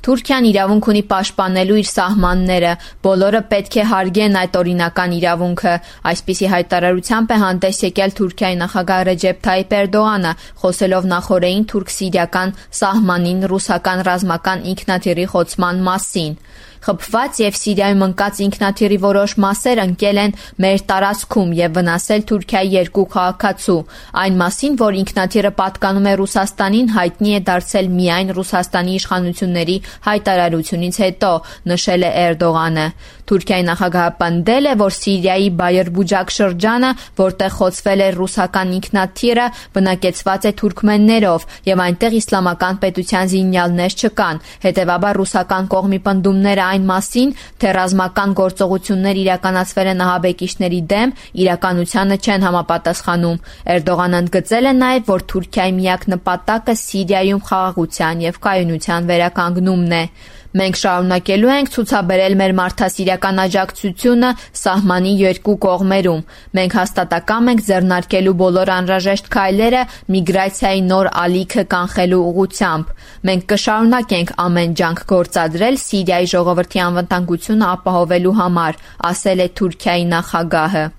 Թուրքիան իրավունք ունի պաշտպանելու իր սահմանները, բոլորը պետք է հարգեն այդ օրինական իրավունքը, այսպիսի հայտարարությամբ է հանդես եկել Թուրքիայի նախագահ Ռեջեփ Թայիփ Էրդողանը, խոսելով նախօրեին թուրք-սիրիական սահմանին ռուսական ռազմական ինքնաթիռի խոցման մասին։ Խփված եւ Սիրիայում ընկած ինքնաթիռի որոշ մասեր ընկել են մեր տարածքում եւ վնասել Թուրքիայի երկու քաղաքացու։ Այն մասին, որ ինքնաթիռը պատկանում է Ռուսաստանին, հայտնի է դարձել միայն Ռուսաստանի իշխանությունների հայտարարությունից հետո, նշել է Էրդողանը։ Թուրքիայի նախագահը պնդել է, որ Սիրիայի Բայերբուջակ շրջանը, որտեղ խոցվել է ռուսական ինքնաթիռը, բնակեցված է թուրքմեններով եւ այնտեղ իսլամական պետության զինյալներ չկան։ Հետևաբար ռուսական կողմի պնդումները այն մասին, թե ռազմական գործողություններ իրականացվել են ահաբեկիչների դեմ, իրականությանը չեն համապատասխանում։ Էրդողանն ընդգծել է նաև, որ Թուրքիայի միակ նպատակը Սիրիայում խաղաղության եւ կայունության վերականգնումն է։ Մենք շարունակելու ենք ցուցաբերել մեր մարդասիրական աջակցությունը սահմանի երկու կողմերում։ Մենք հաստատակամ ենք ձեռնարկելու բոլոր անհրաժեշտ քայլերը միգրացիայի նոր ալիքը կանխելու ուղղությամբ։ Մենք կշարունակենք ամեն ջանք գործադրել Սիրիայի ժողովրդի անվտանգությունը ապահովելու համար, ասել է Թուրքիայի նախագահը։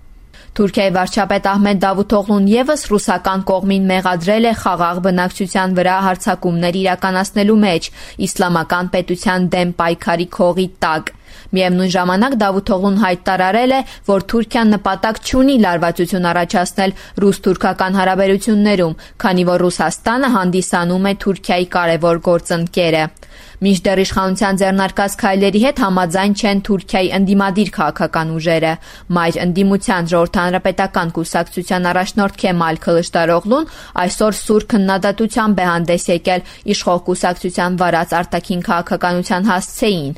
Թուրքիայի վարչապետ Ահմեդ Դավութօղլուն եւս ռուսական կողմին մեղադրել է խաղաղ բնակչության վրա հարձակումներ իրականացնելու մեջ իսլամական պետության դեմ պայքարի քողի տակ։ Միևնույն ժամանակ Դավութօղլուն հայտարարել է, որ Թուրքիան նպատակ չունի լարվածություն առաջացնել ռուս-թուրքական հարաբերություններում, քանի որ Ռուսաստանը հանդիսանում է Թուրքիայի կարևոր գործընկերը։ Մինչդեռ իշխանության ձեռնարկած քայլերի հետ համաձայն չեն Թուրքիայի ընդդիմադիր քաղաքական ուժերը։ Մայր ընդդիմության ժողովրդահանրապետական կուսակցության առաջնորդ Քեմալ Քլիշդարօղլուն այսօր սուր քննադատությամբ է հանդես եկել իշխող կուսակցության վարած արտաքին քաղաքականության հասցեին։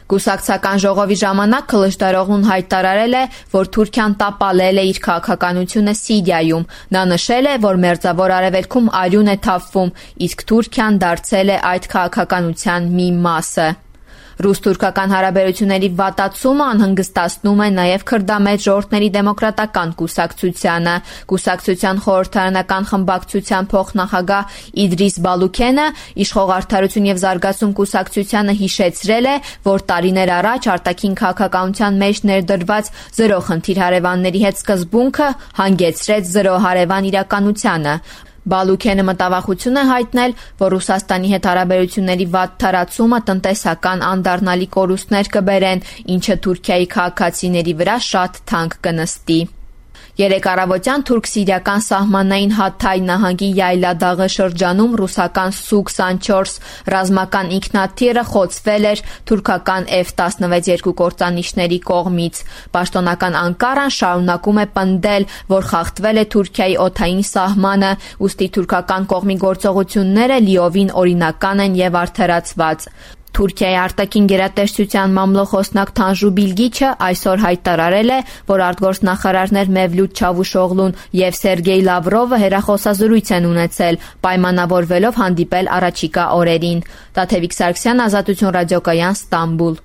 Կուսակցական ժողովի ժամանակ Քլիշդարօղլուն հայտարարել է, որ Թուրքիան տապալել է իր քաղաքականությունը Սիրիայում։ Նա նշել է, որ Մերձավոր Արևելքում արյուն է թափվում, իսկ Թուրքիան դարձել է այդ քաղաքականության մի մասը։ Ռուս-թուրքական հարաբերությունների վատացումը անհանգստացնում է նաև քրդամետ ժողովրդների դեմոկրատական կուսակցությանը։ Կուսակցության խորհրդարանական խմբակցության փոխնախագահ Իդրիս Բալուքենը իշխող Արդարություն եւ զարգացում կուսակցությանը հիշեցրել է, որ տարիներ առաջ արտաքին քաղաքականության մեջ ներդրված զրո խնդիր հարևանների հետ սկզբունքը հանգեցրեց զրո հարևան իրականությանը։ Բալուքենը մտավախություն է հայտնել, որ Ռուսաստանի հետ հարաբերությունների վատ թարացումը տնտեսական անդառնալի կորուստներ կբերեն, ինչը Թուրքիայի քաղաքացիների վրա շատ թանկ կնստի։ Երեկ առավոտյան թուրք-սիրիական սահմանային Հաթայ նահանգի Յայլադաղի շրջանում ռուսական Սու-24 ռազմական ինքնաթիռը խոցվել էր թուրքական F-16 երկուկործանիչների կողմից։ Պաշտոնական Անկարան շարունակում է պնդել, որ խախտվել է Թուրքիայի օդային սահմանը, ուստի թուրքական կողմի գործողությունները լիովին օրինական են եւ արդարացված։ Թուրքիայի արտաքին գերատեսչության մամլոխոսնակ Թանժու Բիլգիչը այսօր հայտարարել է, որ արտգործնախարարներ Մևլութ Չավուշօղլուն եւ Սերգեյ Լավրովը հեռախոսազրույց են ունեցել, պայմանավորվելով հանդիպել առաջիկա օրերին։ Տաթևիկ Սարգսյան, Ազատություն ռադիոկայան, Ստամբուլ։